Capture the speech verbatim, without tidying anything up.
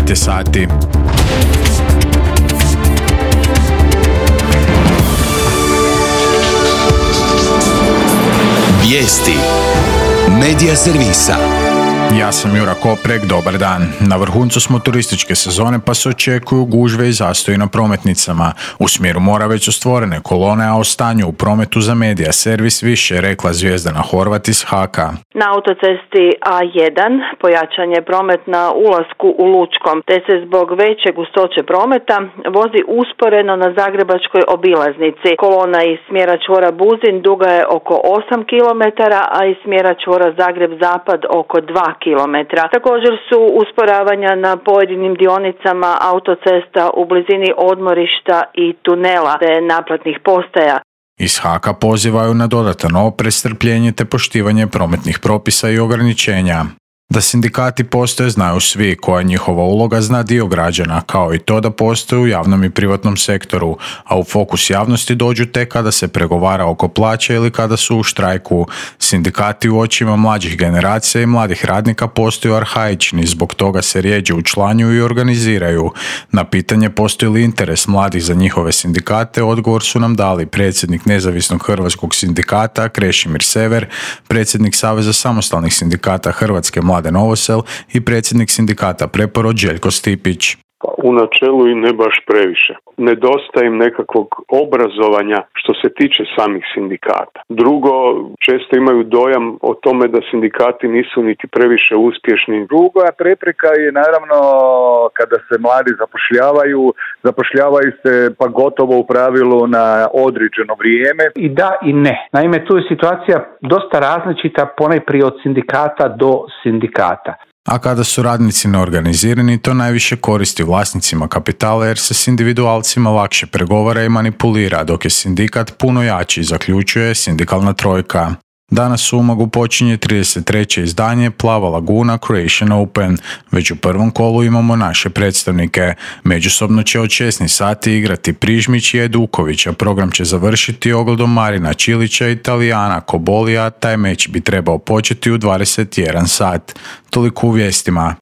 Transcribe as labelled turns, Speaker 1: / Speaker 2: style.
Speaker 1: devet je sati.
Speaker 2: Vijesti Medija servisa.
Speaker 1: Ja sam Jura Koprek, dobar dan. Na vrhuncu smo turističke sezone pa se očekuju gužve i zastoji na prometnicama. U smjeru mora već su stvorene kolone, a o stanju u prometu za Medija servis više je rekla Zvijezdana Horvat iz Haka.
Speaker 3: Na autocesti A jedan pojačan je promet na ulasku u Lučkom, te se zbog veće gustoće prometa vozi usporeno na zagrebačkoj obilaznici. Kolona iz smjera čvora Buzin duga je oko osam kilometara, a iz smjera čvora Zagreb-Zapad oko dva kilometra. Također su usporavanja na pojedinim dionicama autocesta u blizini odmorišta i tunela te naplatnih postaja.
Speaker 1: Iz Haka pozivaju na dodatan oprez, strpljenje te poštivanje prometnih propisa i ograničenja. Da sindikati postoje znaju svi, koja je njihova uloga zna dio građana, kao i to da postoje u javnom i privatnom sektoru, a u fokus javnosti dođu tek kada se pregovara oko plaće ili kada su u štrajku. Sindikati u očima mlađih generacija i mladih radnika postaju arhaični, zbog toga se rijeđe učlanjuju i organiziraju. Na pitanje postoji li interes mladih za njihove sindikate, odgovor su nam dali predsjednik Nezavisnog hrvatskog sindikata Krešimir Sever, predsjednik Saveza samostalnih sindikata Hrvatske Mladen Novosel i predsjednik sindikata Preporod Željko Stipić.
Speaker 4: U načelu i ne baš previše. Nedostaje im nekakvog obrazovanja što se tiče samih sindikata. Drugo, često imaju dojam o tome da sindikati nisu niti previše uspješni.
Speaker 5: Druga prepreka je naravno kada se mladi zapošljavaju, zapošljavaju se pa gotovo u pravilu na određeno vrijeme.
Speaker 6: I da i ne. Naime, tu je situacija dosta različita ponajprije od sindikata do sindikata.
Speaker 1: A kada su radnici neorganizirani, to najviše koristi vlasnicima kapitala jer se s individualcima lakše pregovara i manipulira, dok je sindikat puno jači, zaključuje sindikalna trojka. Danas u Umagu počinje trideset treće izdanje Plava laguna Croatian Open. Već u prvom kolu imamo naše predstavnike. Međusobno će od šesnaest sati igrati Prižmić i Eduković, a program će završiti ogledom Marina Čilića i Italijana Kobolija. Taj meč bi trebao početi u dvadeset jedan sat. Toliko u vijestima.